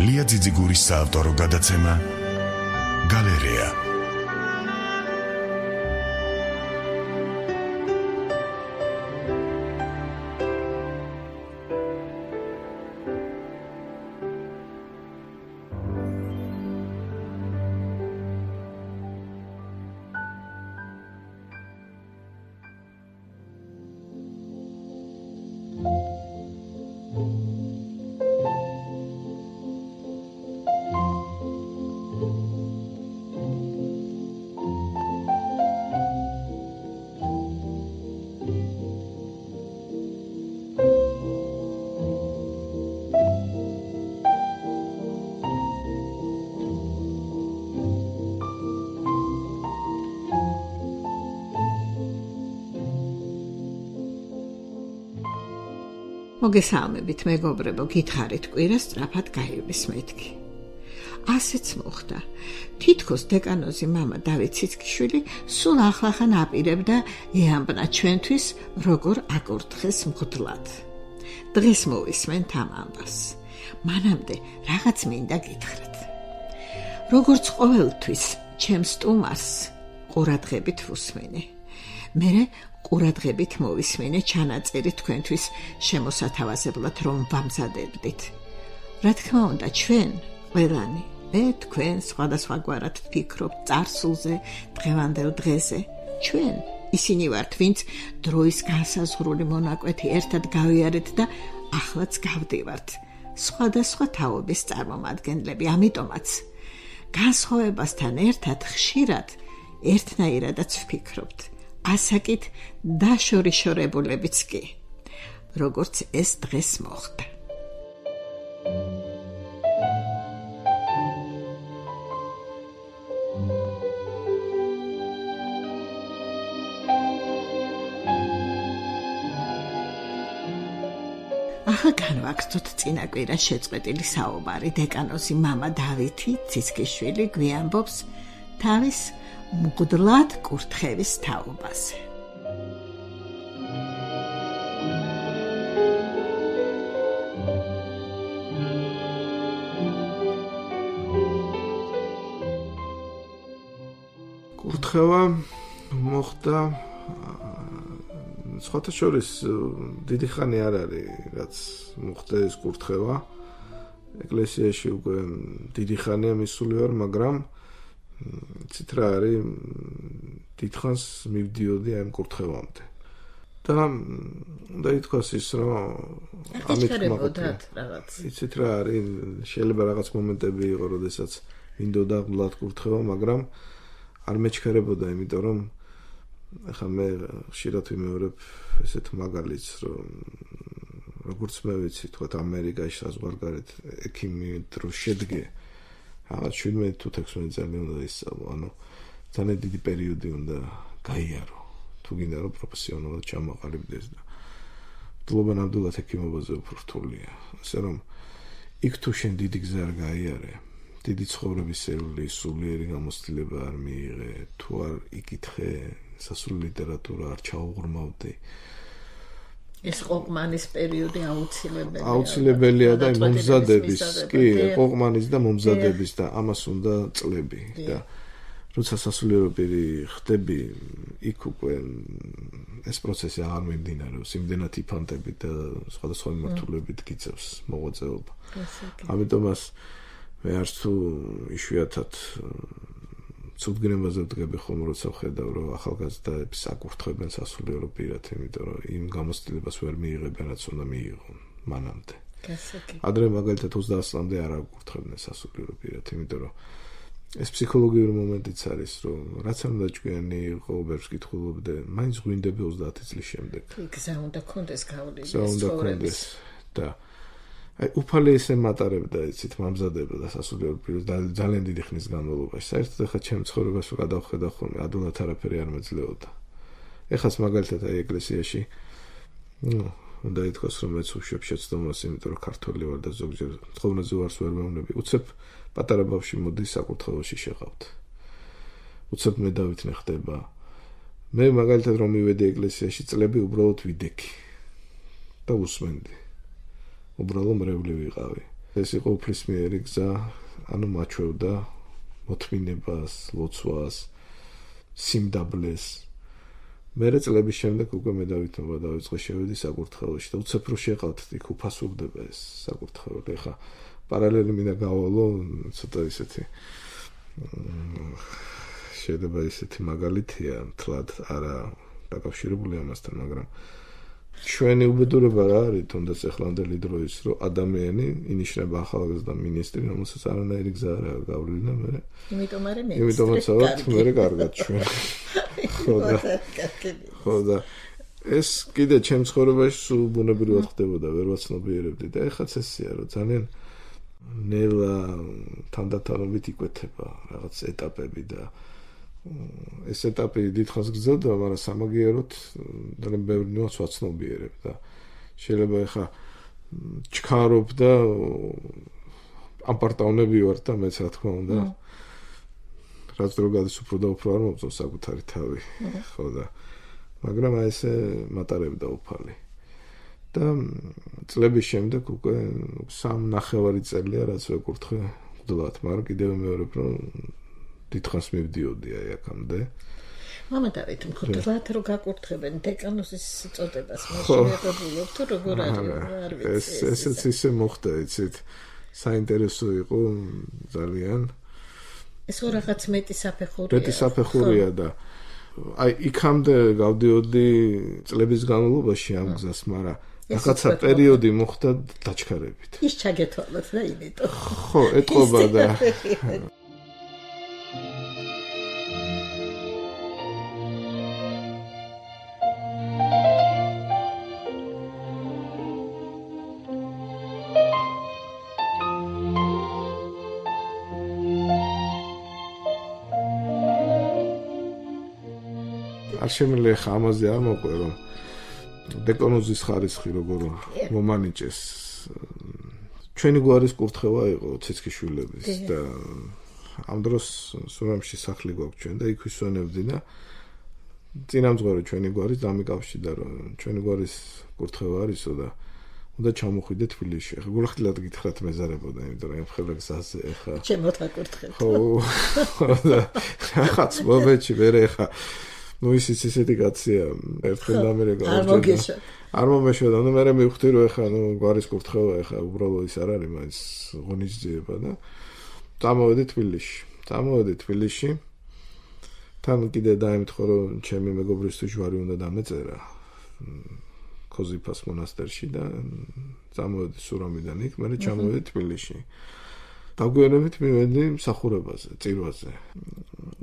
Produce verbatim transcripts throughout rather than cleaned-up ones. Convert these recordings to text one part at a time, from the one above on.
ლია ძიძიგურის საავტორო გადაცემა გალერეა. მოგესალმებით, მეგობრებო, გითხარით კვირა სწრაფად გაივლის მეთქი. ასეც მოხდა. თითქოს დეკანოზი მამა დავით ციცქიშვილი სულ ახლახან აპირებდა ეამბნა ჩვენთვის, როგორ აკურთხეს მღვდლად. დღეს მოვისმენთ ამ ამბავს. მანამდე რაღაც მინდა გითხრათ. როგორც ყოველთვის, ჩემს სტუმარს ყურადღებით ვუსმენე. მერე ყურადღებით მოვისმენე ჩანაწერი თქვენთვის შემოსათავაზებლად, რომ ვამზადებდით. რა თქმა უნდა, ჩვენ ყველანი, მე თქვენ სხვადასხვაგვარად ვფიქრობთ წარსულზე, დღევანდელ დღეზე. ჩვენ ისინი ვართ, ვინც დროის განსაზღვრული მონაკვეთი ერთად გავიარეთ და ახლაც გავდივართ. სხვადასხვა თაობის წარმომადგენლები, ამიტომაც განსხვავებასთან ერთად ხშირად ერთნაირადაც ვფიქრობთ. ასაკით დაშორიშორებულებიც კი, როგორც ეს დღეს მოხდა. ახლა განვაგრძოთ წინა კვირას შეწყვეტილი საუბარი. დეკანოზი მამა დავითი ციცქიშვილი გვიამბობს თავის მღვდლად კურთხევის თაობაზე. კურთხევა მოხდა სხვათა შორის დიდი ხანი არ არის, რაც მოხდა ეს კურთხევა. ეკლესიაში უკვე დიდი ხანია მისული ვარ, მაგრამ ცით რა არის, დიდხანს მივდიოდი ამ კურთხევამდე. და და ითქვას ის, რომ ამით მოხდათ რაღაც. იცით რა არის, შეიძლება რაღაც მომენტები იყო, როდესაც მინდოდა მლად კურთხევა, მაგრამ არ მეჩქერებოდა, იმიტომ რომ ახლა მე ხშირად ვიმეორებ ესეთ მაგალითს, რომ როგორც მე ვიცი, თქვათ ამერიკაში საზღვარგარეთ ექიმი დროს შედგე რაღაც შვიდმეტ თუ თექვსმეტ წელი უნდა ისწავლო, ანუ ძალიან დიდი პერიოდი უნდა გაიარო, თუ გინდა რომ პროფესიონალად ჩამოყალიბდეს და მადლობა ნამდვილად ექიმობაზე უფრო რთულია. ასე რომ იქ თუ შენ დიდი გზა არ გაიარე, დიდი ცხოვრების სერული, სულიერი გამოცდილება არ მიიღე, თუ არ იკითხე, სასულიერო ლიტერატურა არ ჩაუღრმავდი, ეს ყოყმანის პერიოდი აუცილებელია. აუცილებელია და მომზადების, კი, ყოყმანის და მომზადების და ამას უნდა წლები და როცა სასულიერო პირი ხდები, იქ უკვე ეს პროცესი აღარ მიმდინარეობს, იმდენად იფანტებით და სხვადასხვა მიმართულებით გიწევს მოღვაწეობა. ამიტომაც მე არც თუ იშვიათად ცუდგრემაზე ვდგები ხოლმე, როცა ვხედავ, რომ ახალგაზრდებს აკურთხებენ სასულიერო პირად, იმიტომ რომ იმ გამოცდილებას ვერ მიიღებენ, რაც უნდა მიიღონ მანამდე. ადრე მაგალითად ოცდაათ წლამდე არ აკურთხებდნენ სასულიერო პირად, იმიტომ რომ ეს ფსიქოლოგიური მომენტიც არის, რომ რაც არ უნდა ჭკვიანი იყო, ბევრს კითხულობდე, მაინც გვინდები ოცდაათი წლის შემდეგ. გზა უნდა კონდეს გავლილი, გზა უნდა კონდეს და აი უფალი ესე მატარებდა, იცით, მამზადებდა სასულიერო პირს ძალიან დიდი ხნის განმავლობაში. საერთოდ ახლა ჩემ ცხოვრებას რო გადავხედავ ხოლმე, ადვილად არაფერი არ მეძლეოდა. ეხაც მაგალითად აი ეკლესიაში, ნუ, უნდა ითქვას, რომ მეც უშვებ შეცდომას, იმიტომ რომ ქართველი ვარ და ზოგჯერ ცხოვრებაზე ვარს ვერ მეუბნები. უცებ პატარა ბავშვი მოდის საკურთხეველში შეყავთ. უცებ მე დავითნე ხდება. მე მაგალითად რომ მივედი ეკლესიაში წლები უბრალოდ ვიდექი და უსმენდი. უბრალოდ მრევლი ვიყავი. ეს იყო უფლისმიერი გზა, ანუ მაჩვევდა მოთმინებას, ლოცვას, სიმდაბლეს. მერე წლების შემდეგ უკვე მე დავითმობა დავიწყე შევედი საკურთხეველში და უცებ რო შეყავთ იქ უფასურდება ეს საკურთხეველი. ეხა პარალელი მინდა გავალო ცოტა ისეთი შეიძლება ისეთი მაგალითია თლად არა დაკავშირებული ამასთან, მაგრამ ჩვენი უბედურება რა არის თუნდაც ახლანდელი დროის რომ ადამიანი ინიშნება ახალგაზრდა მინისტრი, რომელსაც არანაირი გზა არ აქვს გავლილი მე. იმიტომ არის მე. იმიტომაც ავთ მე კარგად ჩვენ. ხო და ხო და ეს კიდე ჩემ ცხოვრებაში სულ ბუნებრივად ხდებოდა, ვერ ვაცნობიერებდი და ეხაც ესეა რომ ძალიან ნელა თანდათანობით იკვეთება რაღაც ეტაპები და ეს ეტაპი დიდხანს გრძელდება, მაგრამ სამაგიეროდ ძალიან ბევრი ნუანს ვაცნობიერებ და შეიძლება ეხა ჩქარობ და ამპარტავნები ვარ და მეც რა თქმა უნდა რაც დრო გადის უფრო და უფრო არ მომწონს საკუთარი თავი ხო და მაგრამ აი ესე მატარებდა უფალი და წლების შემდეგ უკვე სამ ნახევარი წელია რაც ვეკურთხე მღვდლად, მაგრამ კიდევ მეორებ რომ დიდხანს მივდიოდი აი აქამდე. მამა დავით მღვდლად რო გაკურთხებენ დეკანოსის წოდებას მოშევებულობ თუ როგორ არის არ ვიცი. ეს ესეც ისე მოხდა, იცით. საინტერესო იყო ძალიან. ეს ხო რაღაც მეტი საფეხურია. მეტი საფეხურია და აი იქამდე გავდიოდი წლების განმავლობაში ამ გზას, მაგრამ რაღაცა პერიოდი მოხდა დაჩქარებით. ის ჩაგეთვალოთ და იმიტომ. ხო, ეტყობა და არ შემიძლია ხა ამაზე არ მოყვე რომ დეკანოზის ხარისხი როგორ მომანიჭეს ჩვენი გვარის კურთხევა იყო ცეცხიშვილების და ამ დროს სურამში სახლი გვაქვს ჩვენ და იქ ვისვენებდი და წინამძღვარი ჩვენი გვარის დამიკავშირდა რომ ჩვენი გვარის კურთხევა არისო და უნდა ჩამოხვიდე თბილისში. ეხლა გულახდილად გითხრათ მეზარებოდა, იმიტომ რომ ემხელა გზაზე ეხლა ჩემო თაკურთხეთ. ხო და რაღაც მომენტში მე ეხლა ну ისიც ისეთი კაცია ერთხელ ამერიკა არ მოგეშო არ მომეშოდა ნუ მე მივხვდი რომ ეხლა ნუ გვარის კურთხევა ეხლა უბრალოდ ის არ არის მაინც ღონისძიება და წამოვედი თბილისში წამოვედი თბილისში თან კიდე დაემთხო რომ ჩემი მეგობრისთვის ჯვარი უნდა დამეწერა ქოზიფას მონასტერში და წამოვედი სურამიდან იქ მე ჩამოვედი თბილისში დაგვიანებით მივედი მსახურებაზე, წირვაზე.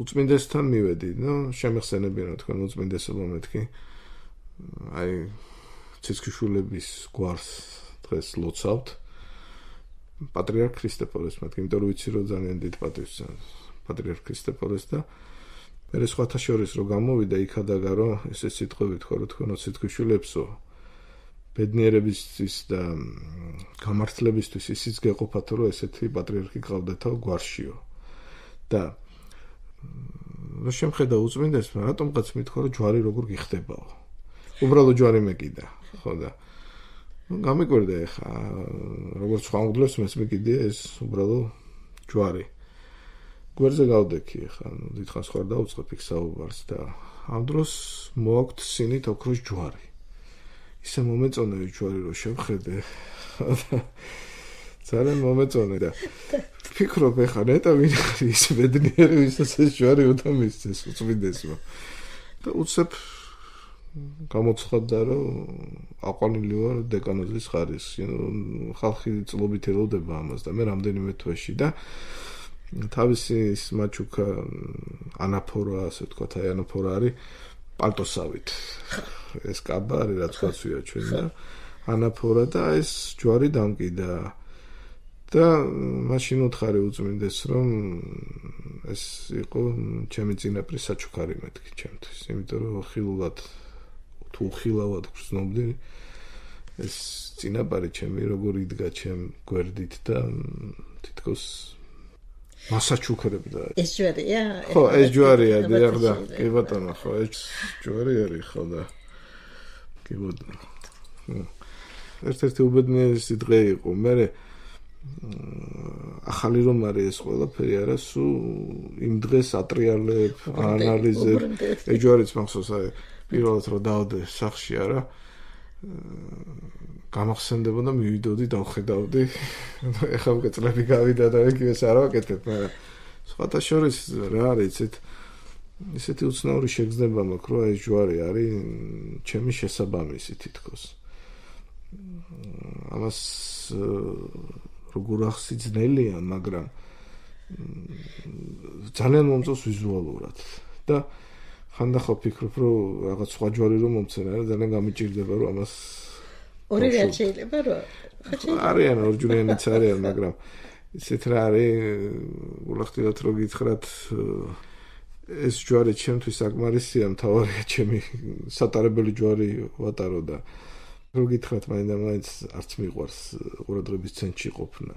უწმინდესთან მივედი, ნუ შემეხსენებიან თქვენ უწმინდესობა მეთქი. აი ცეცხიშვილების გვარს დღეს ლოცავთ. პატრიარქ ქრისტეფორეს მეთქი, იმიტომ რომ ვიცი რომ ძალიან დიდ პატივს პატრიარქ ქრისტეფორეს და მე სხვათა შორის რომ გამოვიდა იქადაგა რომ ესე სიტყვები თქვა რომ თქვენო ცეცხიშვილებსო ბედნიერებისთვის და გამართლებისთვის ისიც გეყოფათ რომ ესეთი პატრიარქი გყავდეთო გვარშიო და რა შემხედა უწმინდეს რატომღაც მithქვა რომ ჯვარი როგორ გიხდებაო უბრალოდ ჯვარი მეკიდა ხო და გამიკვირდა ეხა როგორც სხვა მგლებს მეც მეკიდია ეს უბრალოდ ჯვარი გვერდზე გავდექი ეხა დიდხანს ხარ დაუწყებ იქ საუბარს და ამ დროს მოაქვთ სინით ოქროს ჯვარი ისე მომეწონა ჯვარი რომ შევხედე ძალიან მომეწონა და ფიქრობ ეხა ნეტა ვინ არის ბედნიერი ვისაც ეს ჯვარი უნდა მისცეს უწმინდესმა და უცებ გამოცხადდა რომ აყვანილი ვარ დეკანოზის ხარისხში ხალხი წლობით ელოდება ამას და მე რამდენიმე თვეში და თავისი ის მაჩუკა ანაფორა ასე ვთქვათ აი ანაფორა არის პალტოსავით ეს კაბა არის რაც გასვია ჩვენ და ანაფორა და ეს ჯვარი დამკიდა და მაშინ უთხარი უწმინდეს რომ ეს იყო ჩემი წინაპრის საჩუქარი მეთქი ჩემთვის იმიტომ რომ ხილულად თუ ხილავად გრძნობდი ეს წინაპარი ჩემი როგორ იდგა ჩემ გვერდით და თითქოს მასაჩუქრებდა ეს ჯვარია ხო ეს ჯვარია დიახ და კი ბატონო ხო ეს ჯვარი არის ხო და კი ბატონო ერთ-ერთი უბედნიერესი დღე იყო მე ახალი რომ არის ეს ყველაფერი არა, სულ იმ დღეს ატრიალებ, ანალიზებ, ეჯვარიც მახსოვს აი პირველად რომ დავდე სახში არა გამახსენდებოდა მივიდოდი დავხედავდი ეხლა უკვე წლები გავიდა და ეგეც არ ვაკეთებ მაგრამ სხვათა შორის რა არის იცით ისეთი უცნაური შეგრძნება მაქვს რომ ეს ჯვარი არის ჩემი შესაბამისი თითქოს ამას როგორ ახსიძნელია მაგრამ ძალიან მომწონს ვიზუალურად და ხანდახან ვფიქრობ რომ რაღაც სხვა ჯვარი რომ მომცენ არა ძალიან გამიჭირდება რომ ამას ორი რა შეიძლება რომ არიან ორჯულიანიც არიან მაგრამ ისეთ რა არის ულახtildeოთ რომ გითხრათ ეს ჯვარი ჩემთვის საკმარისია მთავარია ჩემი სატარებელი ჯვარი ვატარო და რომ გითხრათ მაინდა-მაინც არც მიყვარს ყურადღების ცენტრში ყოფნა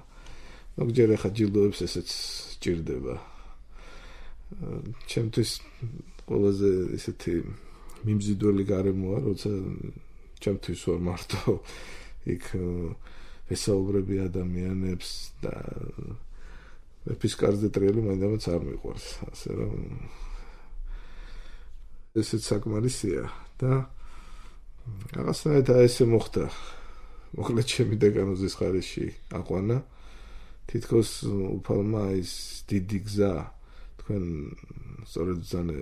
მოგჯერ ახლა ჯილდოებს ესეც ჭირდება ჩემთვის ყველაზე ისეთი მიმზიდველი გარემოა როცა ჩემთვის ვარ მარტო იქ ესაუბრები ადამიანებს და მეფის კარზე ტრიალი მაინდამაც არ მიყვარს ასე რომ ესეც საკმარისია და რაღაცნაირად ესე მოხდა მოკლედ ჩემი დეკანოზის ხარისში აყვანა თითქოს უფალმა ის დიდი გზა თქვენ სწორედ ზანე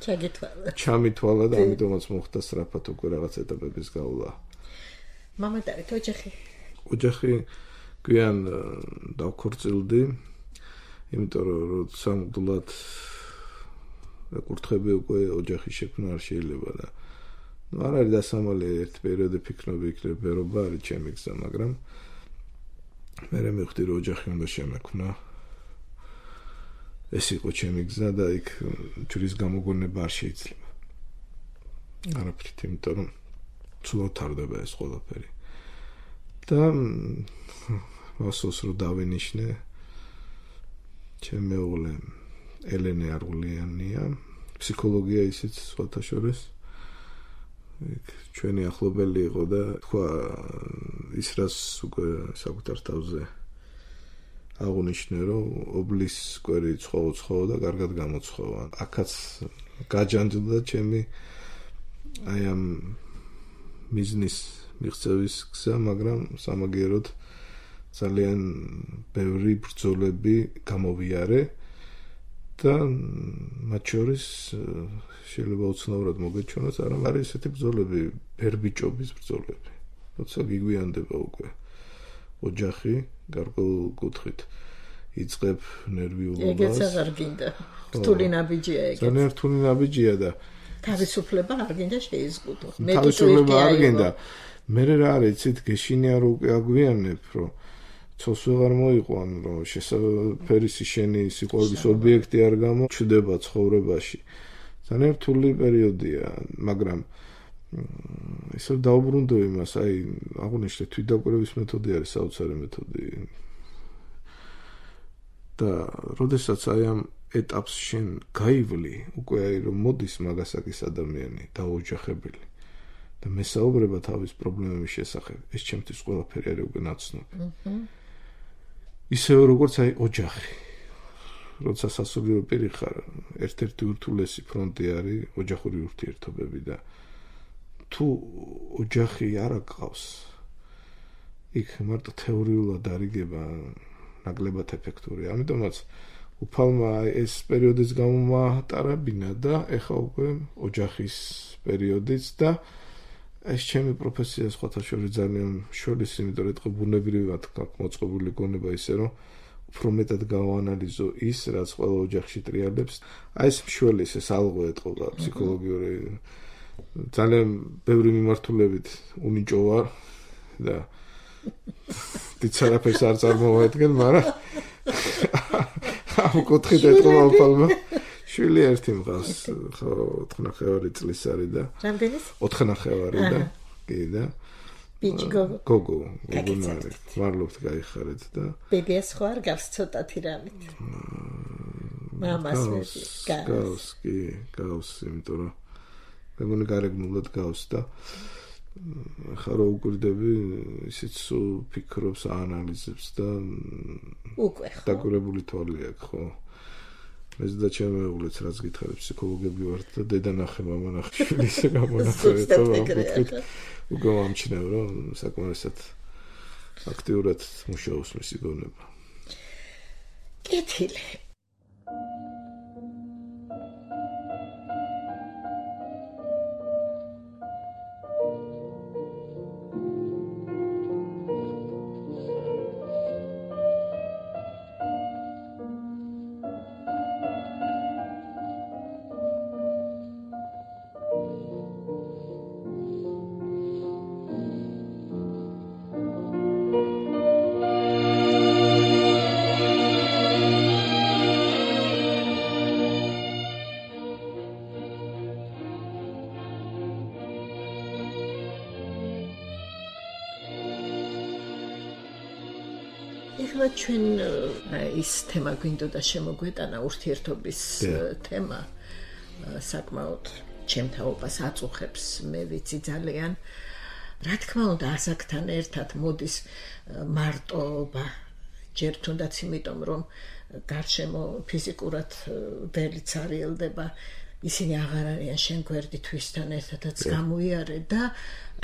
ჩაგეთვალა ჩამითვალა და ამიტომაც მოხდა სწრაფად უკვე რაღაც ეტაპების გავლა მამა და ოჯახი ოჯახი გვიან დავქორწილდი იმიტომ რომ როცა მუდმივად ეკურთხები უკვე ოჯახის შექმნა არ შეიძლება და ну არ არის დასამალი ერთ პერიოდი ფიქრობ იქნებ ვერობა არის ჩემი გზა მაგრამ მე მივხვდი რომ ოჯახი უნდა შემექმნა ეს იყო ჩემი გზა და იქ ჯვრის გამოგონება არ შეიძლება არაფრით იმიტომ რომ ცუდად თარდება ეს ყველაფერი და მოსოს რომ დავინიშნე ჩემი მეუღლე ელენე არღულიანია ფსიქოლოგია ისიც სხვათა შორის ჩვენი ახლობელი იყო და თქვა ის რაც უკვე საკუთარ თავზე აღუნიშნე რომ ობლის კვერი ცხოვა-ცხოვა და კარგად გამოცხოვა აქაც გაჯანჯდა ჩემი აი ამ ბიზნეს მიღწევის გზა მაგრამ სამაგიეროდ ძალიან ბევრი ბრძოლები გამოვიარე და მათ შორის შეიძლება უცნაურად მოგეჩვენოს არა არის ესეთი ბრძოლები ბერბიჭობის ბრძოლები როცა გიგვიანდება უკვე ოჯახი გარკვეულ კუთხით იწყებ ნერვიულობას ეგეც აღარ გინდა რთული ნაბიჯია ეგეც ძალიან რთული ნაბიჯია და თავისუფლება არ გინდა შეიზღუდო მე თავისუფლება არ გინდა მე რა არის იცით გეშინია რომ უკვე აგვიანებ რომ ცოს ვეღარ მოიყვან რომ შესაძფერისი შენი სიყვარულის ობიექტი არ გამოჩნდება ცხოვრებაში ძალიან რთული პერიოდია მაგრამ ისევ დაუბრუნდო იმას აი აღნიშნე თვითდაკვირვების მეთოდი არის საოცარი მეთოდი და როდესაც აი ამ ეტაპს შენ გაივლი უკვე აი რომ მოდის მაგასაკის ადამიანი დაოჯახებელი და მესაუბრება თავის პრობლემების შესახებ ეს ჩემთვის ყველაფერი არის უკვე ნაცნობი ისევ როგორც აი ოჯახი როცა სასულიერო პირი ხარ ერთ-ერთი ურთულესი ფრონტი არის ოჯახური ურთიერთობები და თუ ოჯახი არ აკყავს იქ მარტო თეორიულად არიგება ნაკლებად ეფექტურია ამიტომაც უფალმა ეს პერიოდიც გამომატარებინა და ეხა უკვე ოჯახის პერიოდიც და ეს ჩემი პროფესია სხვათა შორის ძალიან შორის იმიტომ რომ ეთქო ბუნებრივად მოწყობილი გონება ისე რომ უფრო მეტად გავაანალიზო ის რაც ყველა ოჯახში ტრიალებს აი ეს მშველის ეს ალღო ეთყობა ფსიქოლოგიური ძალიან ბევრი მიმართულებით უნიჭო ვარ და დიცარაფერს არ წარმოვადგენ მაგრამ ამ კუთხით ეთყობა უფალმა შვილი ერთი მყავს ხო ოთხნახევარი წლის არის და რამდენის ოთხნახევარი და კი და ბიჭი გოგო გოგო გოგონარი ვარლობთ გაიხარეთ და ბებიას ხო არ გავს ცოტათი რამით მამას მეფი გავს კი გავს იმიტომ რომ მეგონი გარეგნულად გავს და ხა რო უკვირდები, ისიც ფიქრობს, აანალიზებს და უკვე ხო. დაგურებული თვალი აქვს, ხო? ეს და ჩემი მეუღლეც რაც გითხარით, ფსიქოლოგები ვართ და დედა ნახე, მამა ნახე, შვილი ისე გამონახე, ხო? უკვე მომჩნევ, რომ საკმარისად აქტიურად მუშაობს მისი გონება. კეთილი. ეხლა ჩვენ ის თემა გვინდოდა შემოგვეტანა ურთიერთობის თემა საკმაოდ ჩემთაობას აწუხებს მე ვიცი ძალიან რა თქმა უნდა ასაკთან ერთად მოდის მარტოობა ჯერ თუნდაც იმიტომ რომ გარშემო ფიზიკურად ველიც არიელდება ისინი აღარ არიან შენ გვერდით ვისთან ერთადაც გამოიარე და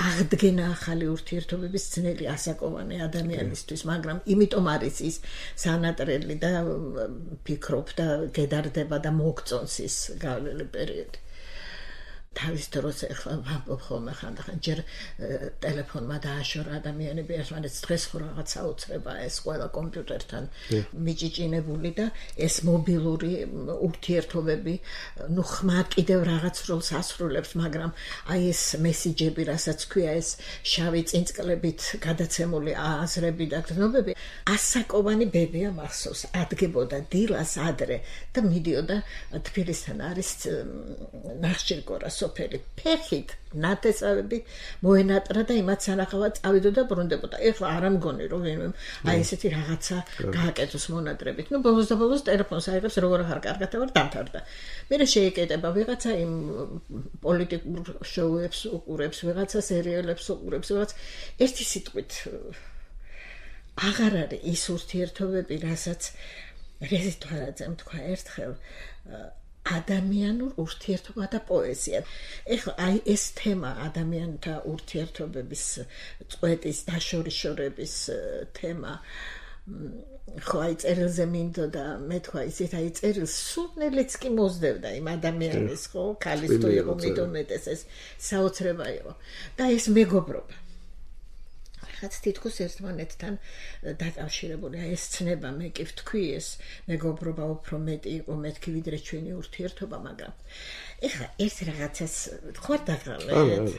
აღდგენა ახალი ურთიერთობების ძნელი ასაკოვანი ადამიანისთვის, მაგრამ იმიტომ არის ის სანატრელი და ფიქრობ და გედარდება და მოგწონს ის გავლილი პერიოდი. თავის დროს ახლა ვამბობ ხოლმე ხანდახან ჯერ ტელეფონმა დააშორა ადამიანები ერთმანეთს დღეს ხო რაღაც საოცრება ეს ყველა კომპიუტერთან მიჭიჭინებული და ეს მობილური ურთიერთობები ნუ ხმა კიდევ რაღაც როლს ასრულებს მაგრამ აი ეს მესიჯები რასაც ქვია ეს შავი წინწკლებით გადაცემული აზრები და გრძნობები ასაკოვანი ბებია მახსოვს ადგებოდა დილას ადრე და მიდიოდა თბილისთან არის ნახშირგორა სოფელი ფეხით ნათესავები მოენატრა და იმათ სანახავად წავიდოდა ბრუნდებოდა. ეხლა არ ამგონი რომ ვინმე აი ესეთი რაღაცა გააკეთოს მონატრებით. ნუ ბოლოს და ბოლოს ტელეფონს აიღებს როგორ ახარ კარგად ვარ დამთავრდა. მერე შეიკეტება ვიღაცა იმ პოლიტიკურ შოუებს უყურებს, ვიღაცა სერიალებს უყურებს, ვიღაც ერთი სიტყვით აღარ არის ის ურთიერთობები, რასაც რეზიტვარაძემ თქვა ერთხელ ადამიანურ ურთიერთობა და პოეზია. ეხლა აი ეს თემა ადამიანთა ურთიერთობების წვეტის დაშორიშორების თემა ხო აი წერილზე მინდოდა მე თქვა ისეთ აი წერილს სულნელიც კი მოსდევდა იმ ადამიანის ხო ქალის თუ იყო მიდომეტეს ეს საოცრება იყო და ეს მეგობრობა რაც თითქოს ერთმანეთთან დაკავშირებული ეს ცნება მე კი ვთქვი ეს მეგობრობა უფრო მეტი იყო მეთქი ვიდრე ჩვენი ურთიერთობა მაგრამ ეხლა ერთ რაღაცას ხوار დაგრალეთ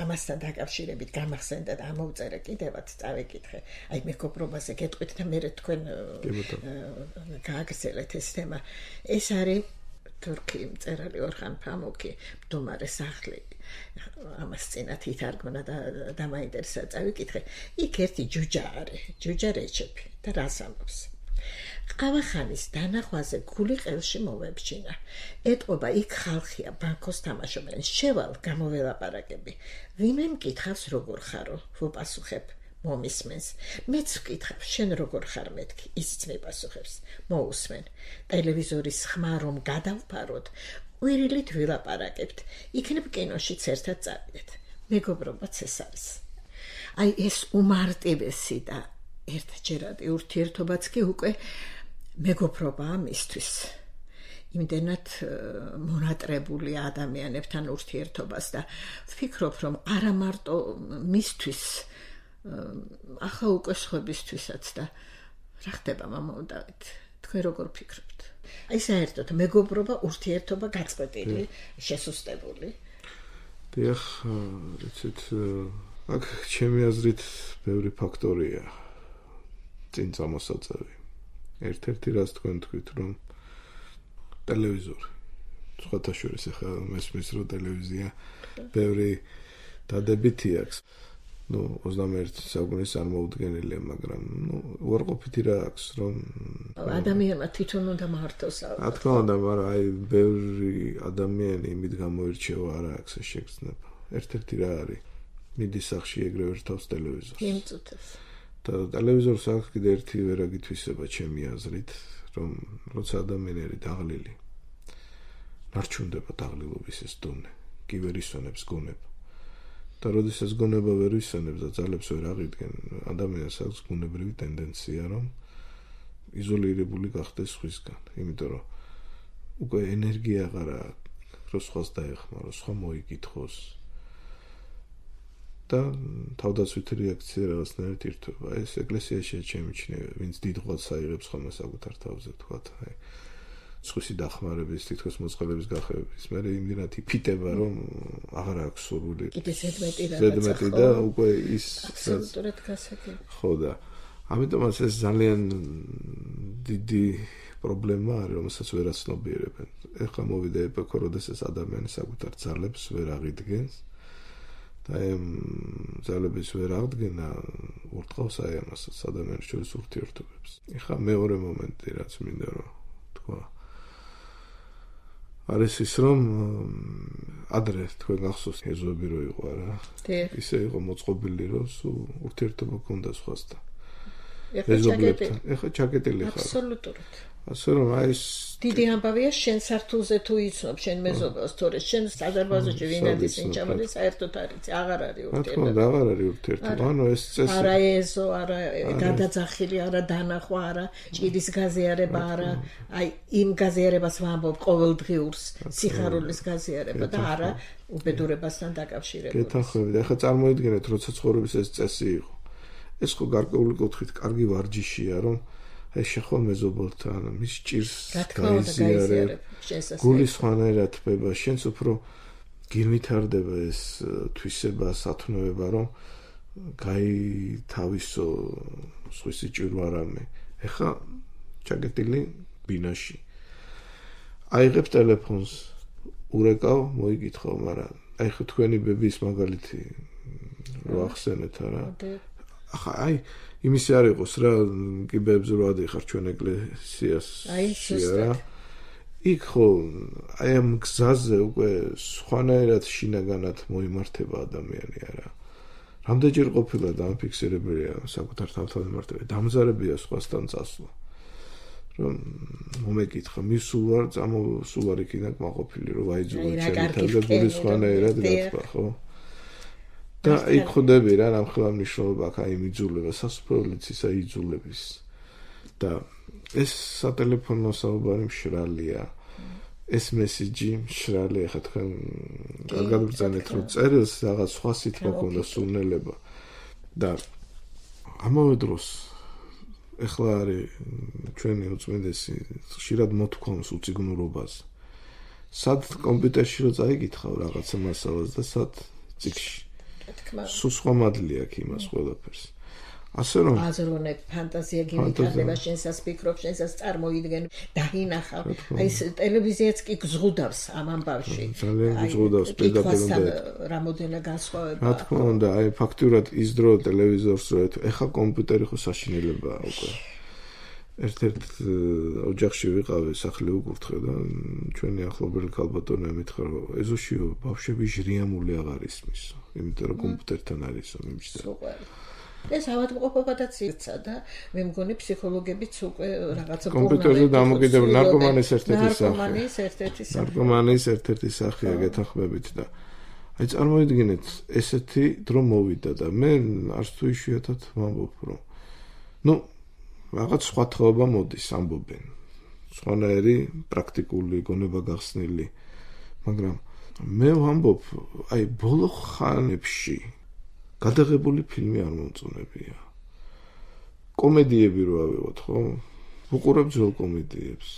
ამასთან დაკავშირებით გამახსენდა და ამოვწერე კიდევაც წავეკითხე აი მეგობრობაზე გეტყვით და მე თქვენ გააგრძელეთ ეს თემა ეს არის თურქი მწერალი ორხან ფამუკი მდომარე სახლი ამას წინათ ითარგმნა და დამაინტერესა წავიკითხე იქ ერთი ჯუჯა არის ჯუჯა რეჩეპი და რას ამბობს ყავახანის დანახვაზე გული ყელში მოვებჩინა ეტყობა იქ ხალხია ბანკოს თამაშობენ შევალ გამოველაპარაკები ვინმე მკითხავს როგორ ხარო ვუპასუხებ მომისმენს მეც ვკითხავ შენ როგორ ხარ მეთქი ისიც მეპასუხებს მოусმენ ტელევიზორის ხმა რომ გადავფაროთ ყვირილით ვილაპარაკებთ იქნებ კინოშიც ერთად წავიდეთ მეგობრობაც ეს არის აი ეს უმარტივესი და ერთჯერადი ურთიერთობაც კი უკვე მეგობრობაა მისთვის იმდენად მონატრებული ადამიანებთან ურთიერთობას და ვფიქრობ რომ არა მარტო მისთვის ახლა უკვე სხვებისთვისაც და რა ხდება მამაო დავით თქვენ როგორ ფიქრობთ აი საერთოდ მეგობრობა ურთიერთობა გაწყვეტილი შესუსტებული დიახ იცით აქ ჩემი აზრით ბევრი ფაქტორია წინ წამოსაწევი ერთ-ერთი რაც თქვენ თქვით რომ ტელევიზორი სხვათა შორის ახლა მესმის რომ ტელევიზია ბევრი დადებითი აქვს ну ოცდამეერთე საუკუნის წარმოუდგენელია მაგრამ ну უარყოფითი რა აქვს რომ ადამიანმა თვითონ უნდა მართოს რა თქმა უნდა მაგრამ აი ბევრი ადამიანი იმით გამოირჩევა არა აქვს ეს შეგრძნება ერთ-ერთი რა არის მიდის სახში ეგრევე ერთავს ტელევიზორს იმწუთებს და ტელევიზორს აქვს კიდე ერთი ვერაგითვისება ჩემი აზრით რომ როცა ადამიანი არის დაღლილი ნარჩუნდება დაღლილობის ეს დონე კი ვერ ისვენებს გონება და როდესაც გონება ვერ ისვენებს და ძალებს ვერ აღიდგენ ადამიანს აქვს გუნებრივი ტენდენცია რომ იზოლირებული გახდეს სხვისგან იმიტომ რომ უკვე ენერგია აღარ აქვს რომ სხვას დაეხმაროს სხვა მოიკითხოს და თავდაცვითი რეაქცია რაღაცნაირად ირთვება ეს ეკლესიაში შემიჩნევა ვინც დიდღვაც აიღებს ხოლმე საკუთარ თავზე თქვათ აი სხვისი დახმარების თითქოს მოწყალების გახევების მე იმდენად იფიტება რომ აღარ აქვს სურვილი კიდე ზედმეტი ზედმეტი და უკვე ის აბსოლუტურად გასაგები ხო და ამიტომაც ეს ძალიან დიდი პრობლემა არის რომელსაც ვერ აცნობიერებენ ეხლა მოვიდა ეპოქა როდესაც ადამიანი საკუთარ ძალებს ვერ აღიდგენს და ამ ძალების ვერ აღდგენა ურტყავს აი ამასაც ადამიანის შორის ურთიერთობებს ეხლა მეორე მომენტი რაც მინდა რომ თქვა არის ის რომ ადრე თქვენ გახსოვს ეზოები რო იყო რა ისე იყო მოწყობილი რომ სულ ურთიერთობა ქონდა სხვასთან ეზობლებთან ეხლა ჩაკეტილი ხარ აბსოლუტურად ასე რომ აი ეს დიდი ამბავია შენ სართულზე თუ იცნობ შენ მეზობელს თორე შენ საზარბაზოში ვინადის ინჭამალი საერთოდ არის აღარ არის ურთიერთობა რა აღარ არის ურთიერთობა ანუ ეს წესი არა ეზო არა გადაძახილი არა დანახვა არა ჭირის გაზიარება არა აი იმ გაზიარებას ვამბობ ყოველდღიურს სიხარულის გაზიარება და არა უბედურებასთან დაკავშირებული გეთანხმებით ახლა წარმოიდგინეთ როცა ცხოვრების ეს წესი იყო ეს ხო გარკვეული კუთხით კარგი ვარჯიშია რომ აი შეხო მეზობელთან მის ჭირს გაიზიარებ გულის ხანერად თბება შენც უფრო გირვითარდება ეს თვისება სათნოება რომ გაითავისო სხვისი ჭირვა რამე ეხლა ჩაკეტილი ბინაში აიღებ ტელეფონს ურეკავ მოიკითხავ მაგრამ აი ხო თქვენი ბების მაგალითი რო ახსენეთ არა ახლა აი იმისი არ იყოს რა კიბეებზე რო ადიხარ ჩვენ ეკლესიას აი ზუსტად იქ ხო აი ამ გზაზე უკვე სხვანაირად შინაგანად მოიმართება ადამიანი არა რამდენჯერ ყოფილა დამფიქსირებელია საკუთარ თავთან მიმართება დამზარებია სხვასთან წასვლა რომ მომეკითხა მის სულ ვარ წამოსულ ვარ იქიდან კმაყოფილი რომ ვაიძულო ჩემი თავზე გულის სხვანაირად გათქვა ხო და იქ ხვდები რა რამხელა მნიშვნელობა აქვს აი მიძულება სასწაულიც ისა იძულების და ეს სატელეფონო საუბარი მშრალია ეს მესიჯი მშრალია ხა თქვენ კარგად ბრძანეთ რომ წერილს რაღაც სხვა სიტყვა ქონდა სუნელება და ამავე დროს ეხლა არის ჩვენი უწმიდესი ხშირად მოთქვამს უციგნურობას სად კომპიუტერში რო წაიკითხავ რაღაცა მასალას და სად წიგში სულ სხვა მადლი აქვს იმას ყველაფერს ასე რომ აზროვნებ ფანტაზია გიმიტარდება შენსას ფიქრობ შენსას წარმოიდგენ დაინახავ აი ეს ტელევიზიაც კი გზღუდავს ამ ამბავში ძალიან გზღუდავს პედაგოგებთან რამოდენა განსხვავება რა თქმა უნდა აი ფაქტურად ის დრო ტელევიზორს რო ეხა კომპიუტერი ხო საშინელებაა უკვე ერთ-ერთ ოჯახში ვიყავი სახლი უკურთხე და ჩვენი ახლობელი ქალბატონი მითხრა რომ ეზოშიო ბავშვები ჟრიამული აღარ ისმის იმიტომ რომ კომპიუტერთან არისო მიმჯდა ეს ავადმყოფობადაც ირცა და მე მგონი ფსიქოლოგებიც უკვე რაღაცა კომპიუტერზე დამოკიდებული ნარკომანის ერთ-ერთი სახე ნარკომანის ერთ-ერთი სახე ნარკომანის ერთ-ერთი სახეა გეთანხმებით და აი წარმოიდგინეთ ესეთი დრო მოვიდა და მე არც თუ იშვიათად ვამბობ რომ ნუ რაღაც სხვა თაობა მოდის ამბობენ სხვანაირი პრაქტიკული გონება გახსნილი მაგრამ მე ვამბობ აი ბოლო ხანებში გადაღებული ფილმი არ მომწონებია კომედიები რო ავიღოთ ხო ვუყურებ ძველ კომედიებს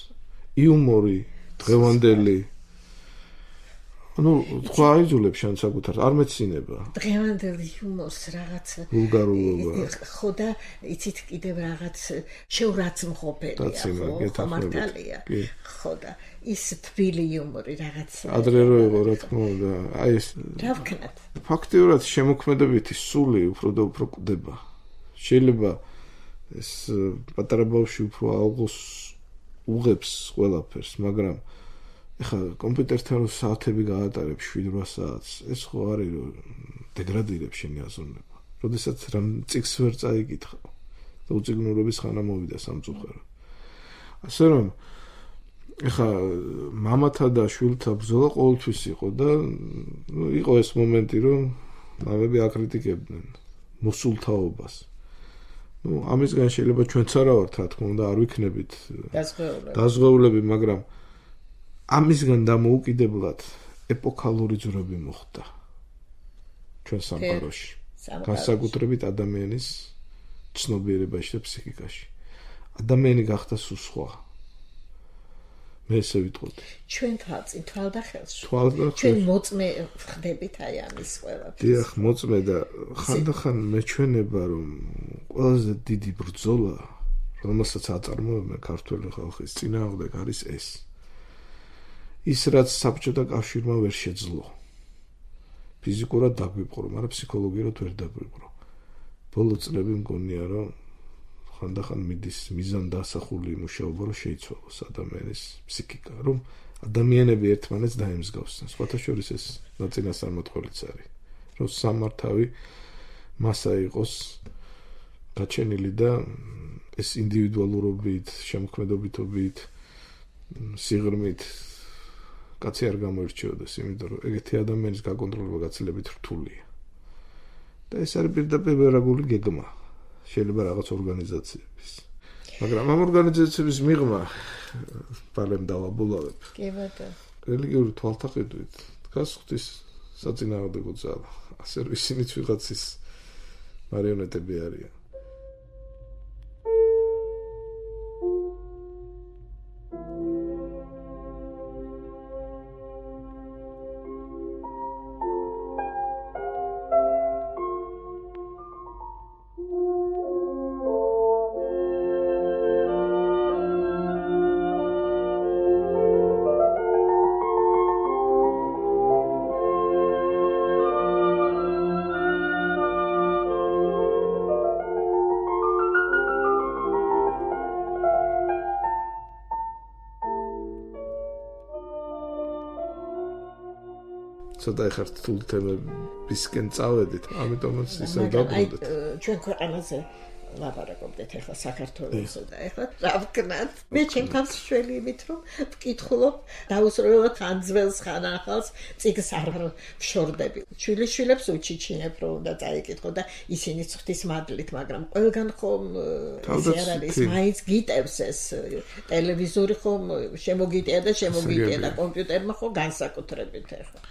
იუმორი დღევანდელი ანუ თქვა აიძულებ შენ საკუთარ არ მეცინება დღევანდელი იუმორს რაღაცა ვულგარულობა ხო და იცით კიდევ რაღაც შეურაცხმყოფელია ხო მართალია ხო და ის თბილი იუმორი რაღაც ადრე რო იყო რა თქმა უნდა აი ეს რა ვქნათ ფაქტიურად შემოქმედებითი სული უფრო და უფრო კვდება შეიძლება ეს პატარა ბავშვი უფრო ალღოს უღებს ყველაფერს მაგრამ ეხლა კომპიუტერთან საათები გაატარებ შვიდ-ოთხ საათს, ეს ხო არის რომ დეგრადირებს შენი აზროვნება. როდესაც რამ წიგნს ვერ წაიკითხავ და უწიგნურობის ხანა მოვიდა სამწუხაროდ. ასე რომ ეხლა მამათა და შვილთა ბრძოლა ყოველთვის იყო და ნუ იყო ეს მომენტი რომ მამები აკრიტიკებდნენ მოსულთაობას. ნუ ამისგან შეიძლება ჩვენც არა ვართ, რა თქმა უნდა, არ ვიქნებით დაზღვეულები, მაგრამ ამისგან დამოუკიდებლად ეპოქალური ძვრები მოხდა ჩვენ სამყაროში. განსაკუთრებით ადამიანის ცნობიერებაში და ფსიქიკაში. ადამიანი გახდა სულ სხვა. მე ესე ვიტყოდი. ჩვენ თვალწინ თვალდახელში. თვალდახელში. ჩვენ მოწმე ხდებით აი ამის ყველაფერს. დიახ, მოწმე და ხანდახან მეჩვენება რომ ყველაზე დიდი ბრძოლა, რომელსაც აწარმოებენ ქართველი ხალხის წინააღმდეგ არის ეს. ის რაც საბჭოთა კავშირმა ვერ შეძლო. ფიზიკურად დაგვიპყრო, მაგრამ ფსიქოლოგიურად ვერ დაგვიპყრო. ბოლო წლები მგონია რომ ხანდახან მიდის მიზან დასახული მუშაობა რომ შეიცვალოს ადამიანის ფსიქიკა, რომ ადამიანები ერთმანეთს დაემსგავსონ. სხვათა შორის ეს ნაწინასწარმეტყველიც არის, რომ სამართავი მასა იყოს გაჩენილი და ეს ინდივიდუალურობით, შემოქმედობითობით, სიღრმით კაცი არ გამოირჩეოდეს, იმიტომ რომ ეგეთი ადამიანის გაკონტროლება გაცილებით რთულია. და ეს არის პირდაპირ ვერაგული გეგმა. შეიძლება რაღაც ორგანიზაციების. მაგრამ ამ ორგანიზაციების მიღმა პარლემ დავაბოლავებ. კი ბატონო. რელიგიური თვალთაყიდვით დგას ღვთის საწინააღმდეგო ძალა. ასე რომ ისინიც ვიღაცის მარიონეტები არიან. ცოტა ეხარ რთულ თემებისკენ წავედით, ამიტომაც ისე დაბრუნდეთ. ჩვენ ქვეყანაზე ლაპარაკობდეთ ახლა საქართველოსზე და ახლა რა ვქნათ? მე ჩემს შველი იმით რომ ვკითხულობ დაუსრულებლად ხან ძველს ხან ახალს წიგნს არ ვშორდები. შვილიშვილებს უჩიჩინებ რომ უნდა წაიკითხო და ისინი ღვთის მადლით, მაგრამ ყველგან ხომ ისე არ არის, მაინც გიტევს ეს ტელევიზორი ხომ შემოგიტია და შემოგიტია და კომპიუტერმა ხო განსაკუთრებით ახლა.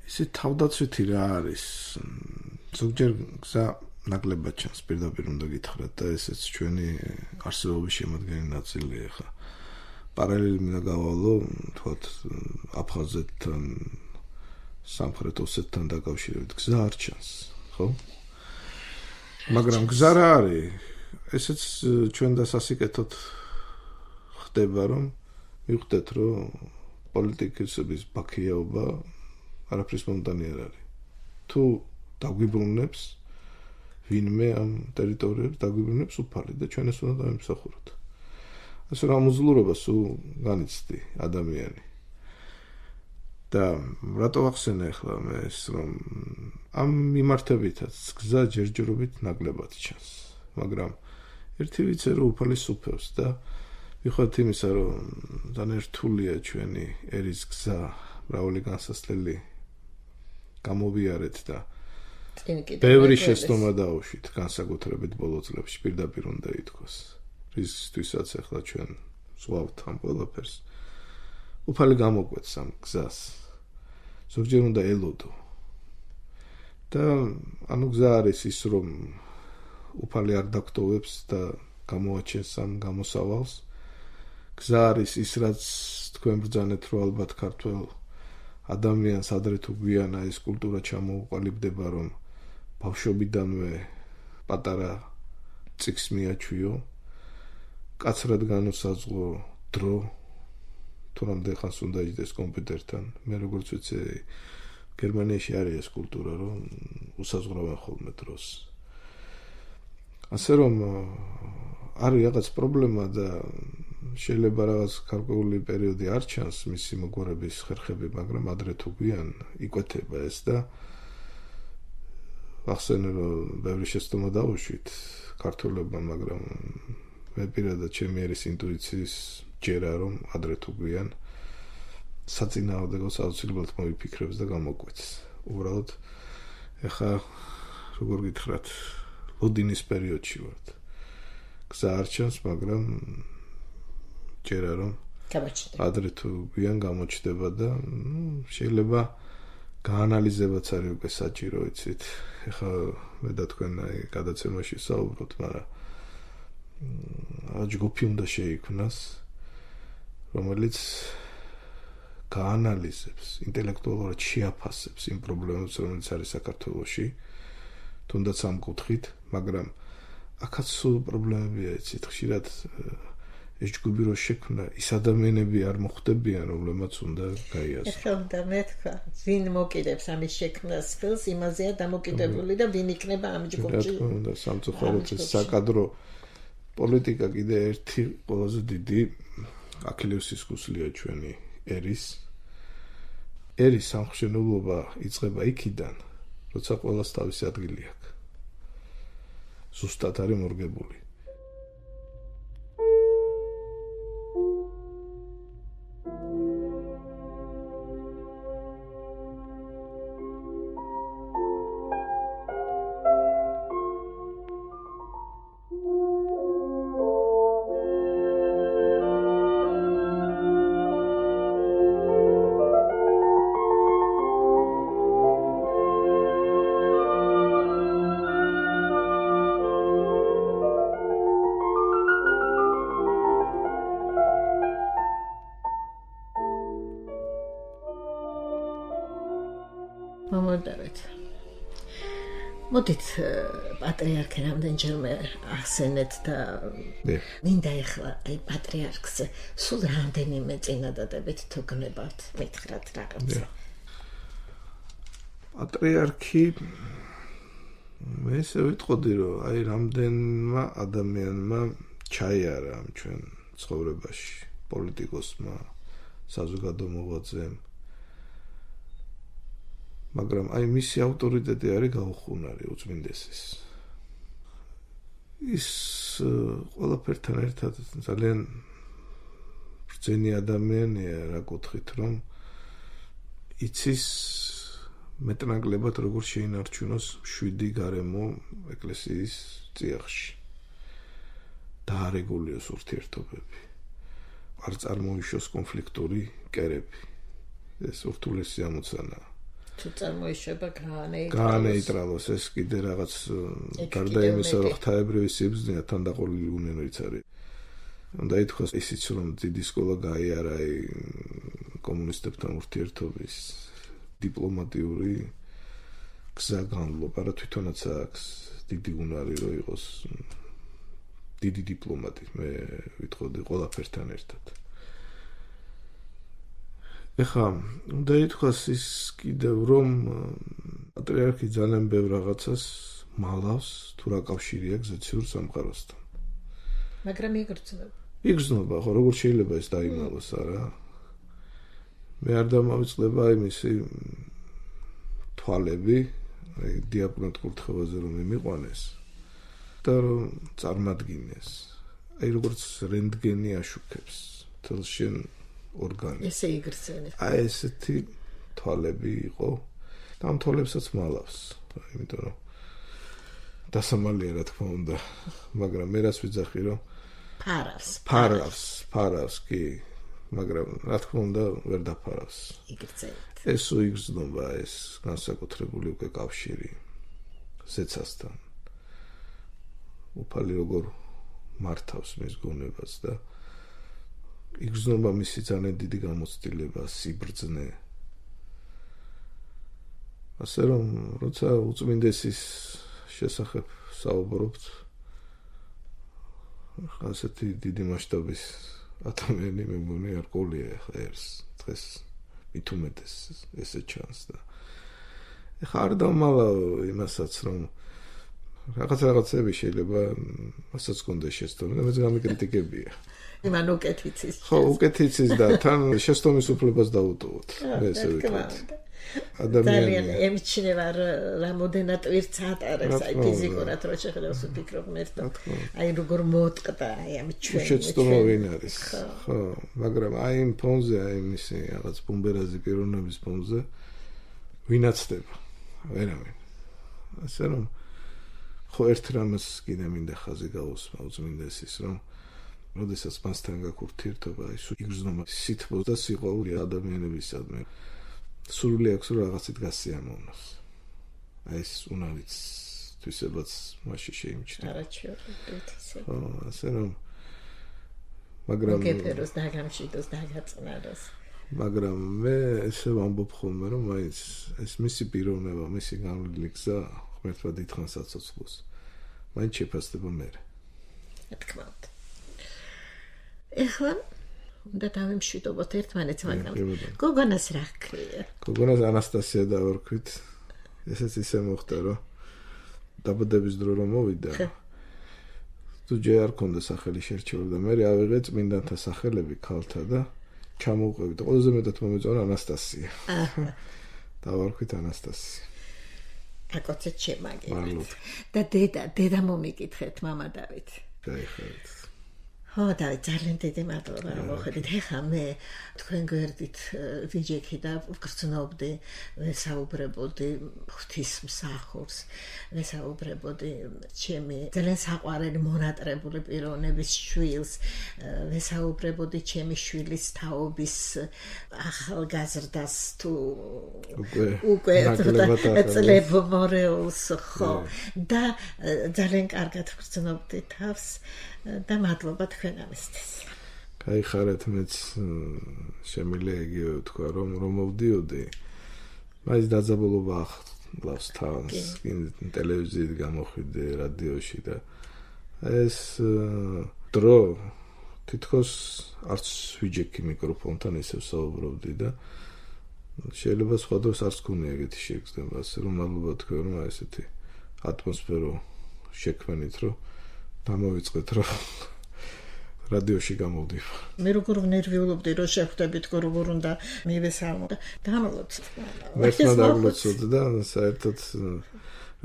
ისე თავდაცვითი რა არის? ზოგჯერ გზა ნაკლებად ჩანს, პირდაპირ უნდა გითხრათ და ესეც ჩვენი არსებობის შემადგენელი ნაწილია ხა. პარალელი მინდა გავალო, თქვათ, აფხაზეთთან, სამხრეთ ოსეთთან დაკავშირებით გზა არ ჩანს, ხო? მაგრამ გზა რა არის? ესეც ჩვენ და სასიკეთოდ ხდება, რომ მივხვდეთ, რომ პოლიტიკოსების ბაქიაობა არაფრის მომდანი არ არის. თუ დაგვიბრუნებს ვინმე ამ ტერიტორიებს დაგვიბრუნებს უფალი და ჩვენ ეს უნდა დავიმსახუროთ. ასე რომ ამოძლურობას განიცდი ადამიანი. და რატო ახსენე ახლა მე ეს რომ ამ მიმართებითაც გზა ჯერჯერობით ნაკლებად ჩანს. მაგრამ ერთი ვიცე რომ უფალი სუფევს და ვიხოთ იმისა რომ ძალიან რთულია ჩვენი ერის გზა, მრავალი განსასწრელი გამოვიარეთ და ბევრი შეცდომა დაუშვით, განსაკუთრებით ბოლო წლებში პირდაპირ უნდა ითქვას. რისთვისაც ახლა ჩვენ ზღვავთ ამ ყველაფერს. უფალი გამოგვეც ამ გზას. ზოგჯერ უნდა ელოდო. და ანუ გზა არის ის, რომ უფალი არ დაგტოვებს და გამოაჩენს ამ გამოსავალს. გზა არის ის, რაც თქვენ ბრძანეთ, რომ ალბათ ქართველ ადამიანს ადრე თუ გვიანა ეს კულტურა ჩამოუყალიბდება, რომ ბავშვობიდანვე პატარა წიგნს მიაჩვიო, კაცრად განუსაზღვრო დრო, თუ რამდენ ხანს უნდა იჯდეს კომპიუტერთან. მე როგორც ვიცი, გერმანიაში არის ეს კულტურა, რომ უსაზღვრავენ ხოლმე დროს. ასე რომ არის რაღაც პრობლემა და შეიძლება რაღაც გარკვეული პერიოდი არ ჩანს მისი მოგვარების ხერხები, მაგრამ ადრე თუ გვიან იკვეთება ეს და ახსენე რომ ბევრი შეცდომა დავუშვით ქართველებმა, მაგრამ მე პირადად ჩემი ერის ინტუიციის ჯერა რომ ადრე თუ გვიან საწინააღმდეგოს აუცილებლად მოიფიქრებს და გამოკვეთს. უბრალოდ ეხა როგორ გითხრათ, ლოდინის პერიოდში ვართ. გზა არ ჩანს, მაგრამ ჯერა რომ ადრე თუ გვიან გამოჩნდება და შეიძლება გაანალიზებაც არის უკვე საჭირო, იცით. ეხა მე და თქვენ აი გადაცემაში საუბრობთ, მაგრამ ჯგუფი უნდა შეიქმნას, რომელიც გაანალიზებს, ინტელექტუალურად შეაფასებს იმ პრობლემებს, რომელიც არის საქართველოში, თუნდაც ამ კუთხით, მაგრამ აქაც სულ პრობლემებია, იცით, ხშირად ეს ჯგუფი რო შექმნა, ის ადამიანები არ მოხვდებიან, რომლებმაც უნდა გაიაზროს. ეხლა უნდა მეთქვა, ვინ მოკიდებს ამის შექმნას ფილს, იმაზეა დამოკიდებული და ვინ იქნება ამ ჯგუფში. რა თქმა უნდა, სამწუხაროდ ეს საკადრო პოლიტიკა კიდე ერთი ყველაზე დიდი აქილევსის ქუსლია ჩვენი ერის. ერის სამხშენებლობა იწყება იქიდან, როცა ყველას თავისი ადგილი აქვს. ზუსტად არის მორგებული. მოდით პატრიარქი რამდენჯერმე ახსენეთ და მინდა ეხლა აი პატრიარქზე სულ რამდენიმე წინადადებით თუ გნებავთ, მითხრათ რაღაცა. პატრიარქი მე ესე ვიტყოდი, რომ აი რამდენმა ადამიანმა ჩაიარა ამ ჩვენ ცხოვრებაში, პოლიტიკოსმა, საზოგადო მოღვაწემ, მაგრამ აი მისი ავტორიტეტი არის გაუხუნარი უწმინდესის. ის ყველაფერთან ერთად ძალიან ბრძენი ადამიანია რა კუთხით, რომ იცის მეტნაკლებად როგორ შეინარჩუნოს მშვიდი გარემო ეკლესიის წიაღში. დაარეგულიოს ურთიერთობები. არ წარმოიშოს კონფლიქტური კერები. ეს ურთულესი ამოცანაა. თუ წარმოიშება გაანეიტრალოს. გაანეიტრალოს ეს კიდე რაღაც გარდა იმისა, რომ ღვთაებრივი სიბრძნეა თან დაყოლილი უნენოიც არის. უნდა ითქვას ისიც, რომ დიდი სკოლა გაიარა კომუნისტებთან ურთიერთობის დიპლომატიური გზა განლობა, რა თვითონაც აქვს დიდი უნარი რომ იყოს დიდი დიპლომატი, მე ვიტყოდი ყველაფერთან ერთად. ეხლა უნდა ითქვას ის კიდევ რომ პატრიარქი ძალიან ბევრ რაღაცას მალავს თუ რა კავშირი აქვს ზეციურ სამყაროსთან. მაგრამ იგრძნობა. იგრძნობა, ხო, როგორ შეიძლება ეს დაიმალოს, არა? მე არ დამავიწყდება იმისი თვალები, აი დიაპნოთ კურთხევაზე რომ მიმიყვანეს და რომ წარმადგინეს. აი როგორც რენტგენი აშუქებს თელს შენ ორგანი. ესე იგრძნეს. აი ესეთი თვალები იყო და ამ თვალებსაც მალავს. იმიტომ რომ დასამალია რა თქმა უნდა, მაგრამ მე რას ვიძახი რომ ფარავს. ფარავს, ფარავს კი, მაგრამ რა თქმა უნდა ვერ დაფარავს. იგრძნით. ეს უიგრძნობა ეს განსაკუთრებული უკვე კავშირი ზეცასთან. უფალი როგორ მართავს მის გონებას და იგრძნობა მისი ძალიან დიდი გამოცდილება, სიბრძნე. ასე რომ, როცა უწმინდესის შესახებ საუბრობთ, ასეთი დიდი მასშტაბის ადამიანი მე მგონი არ ყოლია ხა ეს დღეს მით უმეტეს ესე ჩანს და ეხა არ დამალა იმასაც რომ რაღაც რაღაცები შეიძლება მასაც კონდეს შეცდომა და მეც გამიკრიტიკებია. იმან უკეთიცის. ხო, უკეთიცის და თან შეცდომის უფლებას დაუტოვოთ. მე ესე ვიტყვი. ძალიან ემჩნევა რამოდენად ვირც ატარებს აი ფიზიკურად რო შეხედავს ვფიქრობ მერტო აი როგორ მოტყდა აი ამ ჩვენ შეცდომა ვინ არის ხო მაგრამ აი იმ ფონზე აი მისი რაღაც ბუმბერაზი პიროვნების ფონზე ვინაცდება ვერავინ ასე რომ ხო ერთ რამას კიდე მინდა ხაზი გაუსმა უწმინდეს ის რომ როდესაც მასთან გაქვს ურთიერთობა აი იგრძნობა სითბო და სიყვარული ადამიანებისადმი სურვილი აქვს რომ რაღაცით გასიამოვნოს. აი ეს უნარიც თვისებაც მასში შეიმჩნევა. არაჩვეულებრივ. ხო, ასე რომ მაგრამ გეფეროს დაგამშვიდოს დაგაწნაროს. მაგრამ მე ესე ვამბობ ხოლმე რომ აი ეს მისი პიროვნება, მისი განვლილი გზა ღმერთმა დიდხანს აცოცხლოს. მაინც შეფასდება მე. რა თქმა უნდა. ეხლა და დავიმშვიდობოთ ერთმანეთს, მაგრამ გოგონას რა ჰქვია? გოგონას ანასტასია დავარქვით. ესეც ისე მოხდა, რომ დაბადების დრო რომ მოვიდა. თუ ჯერ არ ქონდა სახელი შერჩეული და მე ავიღე წმინდანთა სახელები ქალთა და ჩამოვყევი და ყველაზე მეტად მომეწონა ანასტასია. დავარქვით ანასტასია. აკოცეთ შემაგერეთ. და დედა, დედა მომიკითხეთ მამა დავით. გაიხარეთ. ხო, დავით, ძალიან დიდი მადლობა რომ მოხედით. ეხლა მე თქვენ გვერდით ვიჯექი და ვგრძნობდი, ვესაუბრებოდი ღვთისმსახურს, ვესაუბრებოდი ჩემი ძალიან საყვარელი მონატრებული პიროვნების შვილს, ვესაუბრებოდი ჩემი შვილის თაობის ახალგაზრდას თუ უკვე წლებმორეულს, ხო, და ძალიან კარგად ვგრძნობდი თავს. და მადლობა თქვენ ამისთვის. გაიხარეთ მეც შემიძლია იგივე ვთქვა რომ რომ მოვდიოდი. მაინც დაძაბულობა ახლავს თავს, ტელევიზიით გამოხვიდე, რადიოში და ეს დრო თითქოს არც ვიჯექი მიკროფონთან ისევ საუბრობდი და შეიძლება სხვა დროს არც გქონია ეგეთი შეგრძნება, ასე რომ მადლობა თქვენ რომ ესეთი ატმოსფერო შექმნით რომ დამოვიწყეთ რომ რადიოში გამოვდივარ. მე როგორ ნერვიულობდი რომ შეხვდებით როგორ უნდა მივესალმო და დამლოცოთ. მერტმა დაგლოცოთ და საერთოდ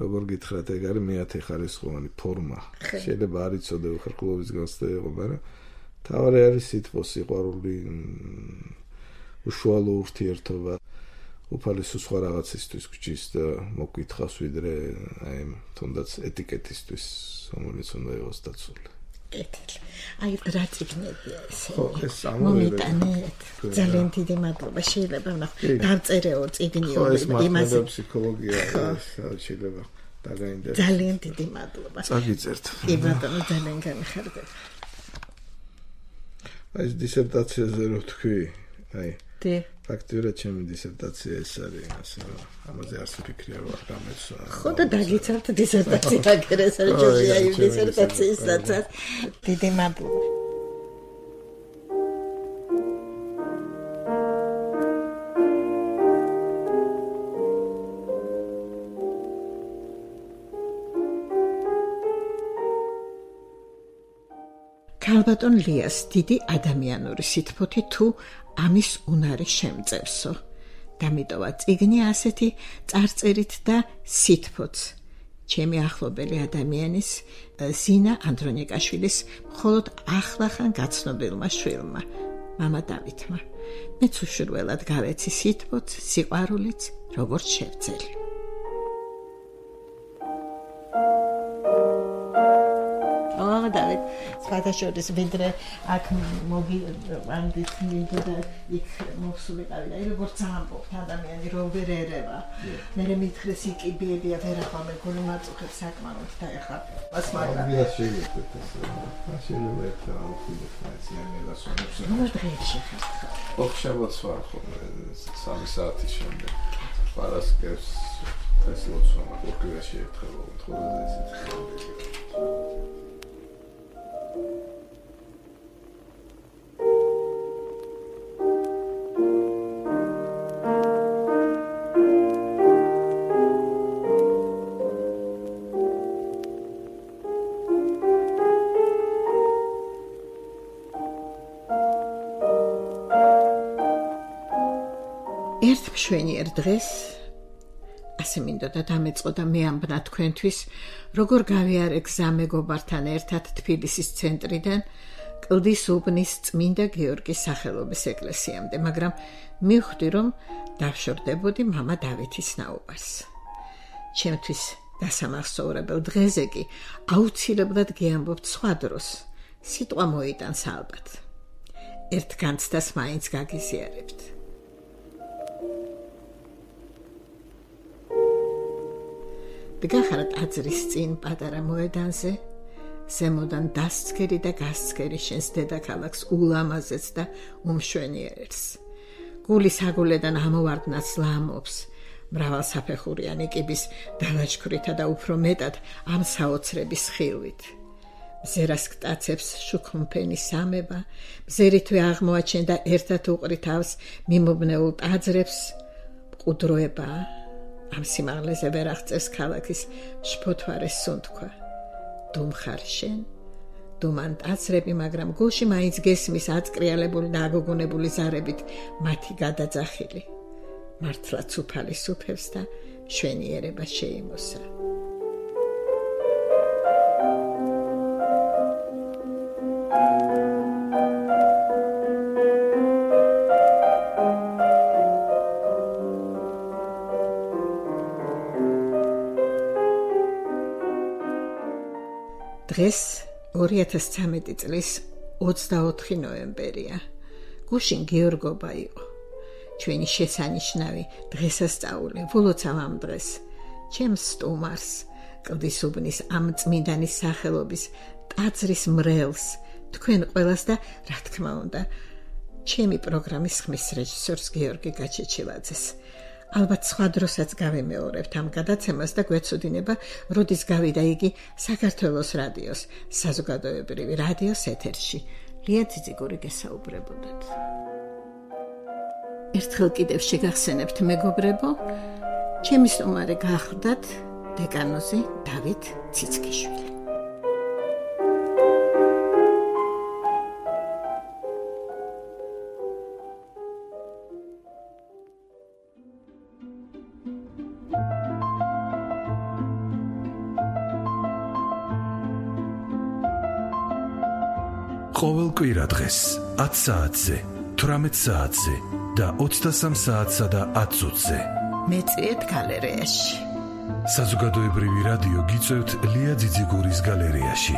როგორ გითხრათ ეგ არის მეათე ხარისხოვანი ფორმა. შეიძლება არ იცოდე უხერხულობის განცდა იყო, მაგრამ თავარი არის სითბო, სიყვარული, უშუალო ურთიერთობა. უფალი სხვა რაღაცისთვის გჭირს და მოგკითხავს ვიდრე აი თუნდაც ეტიკეტისთვის რომელიც უნდა იყოს დაცული. კეთილი. აი რა წიგნებია ესე. ხო, ეს მომიტანეთ. ძალიან დიდი მადლობა. შეიძლება ვნახო დავწერეო წიგნიო იმაზე. ხო, ფსიქოლოგია შეიძლება დაგაინტერესებს. ძალიან დიდი მადლობა. წაგიწერთ. კი ბატონო, ძალიან გამიხარდა. აი ეს დისერტაციაზე რო თქვი, აი დე ფაქტიურად ჩემი დისერტაცია ეს არის, ასე რომ ამაზე არც ვფიქრია რომ არ გამეცვა. ხო და დაგიცავთ დისერტაცია აგერეს არ ჯობია იმ დისერტაციისაცაც. დიდი მადლობა. ქალბატონ ლიას დიდი ადამიანური სითბოთი თუ ამის უნარი შემწევსო. დამიტოვა წიგნი ასეთი წარწერით და სითბოც. ჩემი ახლობელი ადამიანის ზინა ანდრონიკაშვილის მხოლოდ ახლახან გაცნობილმა შვილმა, მამა დავითმა. მეც უშურველად გავეცი სითბოც, სიყვარულიც, როგორც შევძელი. დავით, სხვადასხვა ვიდრე აქ მოგივანდით მინდოდა იქ მოვსულიყავი და როგორც ამბობთ ადამიანი რო ვერ ერევა. მე მითხრეს იკიბიებია ვერახამე გული მაწუხებს საკმაოდ და ეხლა მას მაგრამ ვიდა შეიძლება ეს შეიძლება ეხლა აუხიდეთ მაინც ნელასონებს. ნუ დღეში ხარ. ოქშაბათს ვარ ხოლმე სამი საათის შემდეგ. პარასკევს ეს ლოცვა ოქრიაში ერთხელ ვთხოვდა ესეც. ერთ მშვენიერ დღეს ასე მინდოდა დამეწყო და მე ამბნა თქვენთვის, როგორ გავიარე გზა მეგობართან ერთად თბილისის ცენტრიდან კლდის უბნის წმინდა გიორგის სახელობის ეკლესიამდე, მაგრამ მივხვდი, რომ დავშორდებოდი მამა დავითის ნაუბარს. ჩემთვის დასამახსოვრებელ დღეზე კი აუცილებლად გიამბობთ სხვა დროს. სიტყვა მოიტანს ალბათ. ერთ განცდას მაინც გაგიზიარებთ. დგახართ აზრის წინ პატარა მოედანზე, ზემოდან დასცქერი და გასცქერი შენს დედაქალაქს ულამაზეს და უმშვენიერებს. გულის აგულედან ამოვარდნაც ლამობს, მრავალსაფეხურიანი კიბის დალაჩქვრითა და უფრო მეტად ამ საოცრების ხილვით. მზერას გტაცებს შუქმფენი სამება, მზერითვე აღმოაჩენდა ერთად უყრი თავს მიმობნეულ ტაძრებს, მყუდროება ამ სიმაღლეზე ვერ აღწევს ქალაქის შფოთვარეს სუნთქვა. დუმხარ შენ, დუმან ტაძრები, მაგრამ გულში მაინც გესმის აწკრიალებული და აგოგონებული ზარებით მათი გადაძახილი. მართლაც უფალი სუფევს და შვენიერება შეიმოსა. დღეს ორი ათას ცხრამეტი წლის ოცდაოთხი ნოემბერია. გუშინ გიორგობა იყო. ჩვენი შესანიშნავი დღესასწაული, ვლოცავ ამ დღეს. ჩემს სტუმარს, კლდის უბნის ამ წმინდანის სახელობის ტაძრის მრევლს, თქვენ ყველას და რა თქმა უნდა, ჩემი პროგრამის ხმის რეჟისორს გიორგი გაჩეჩილაძეს. ალბათ სხვა დროსაც გავიმეორებთ ამ გადაცემას და გვეცოდინება, როდის გავიდა იგი საქართველოს რადიოს, საზოგადოებრივი რადიოს ეთერში. ლია ძიძიგური გესაუბრებოდათ. ერთხელ კიდევ შეგახსენებთ მეგობრებო, ჩემი სტუმარი გახლდათ დეკანოზი დავით ციცქიშვილი. ყოველ კვირა დღეს ათ საათზე, თვრამეტ საათზე და ოცდასამ საათსა და ათ წუთზე. მეწვიეთ გალერეაში. საზოგადოებრივი რადიო გიწევთ ლია ძიძიგურის გალერეაში.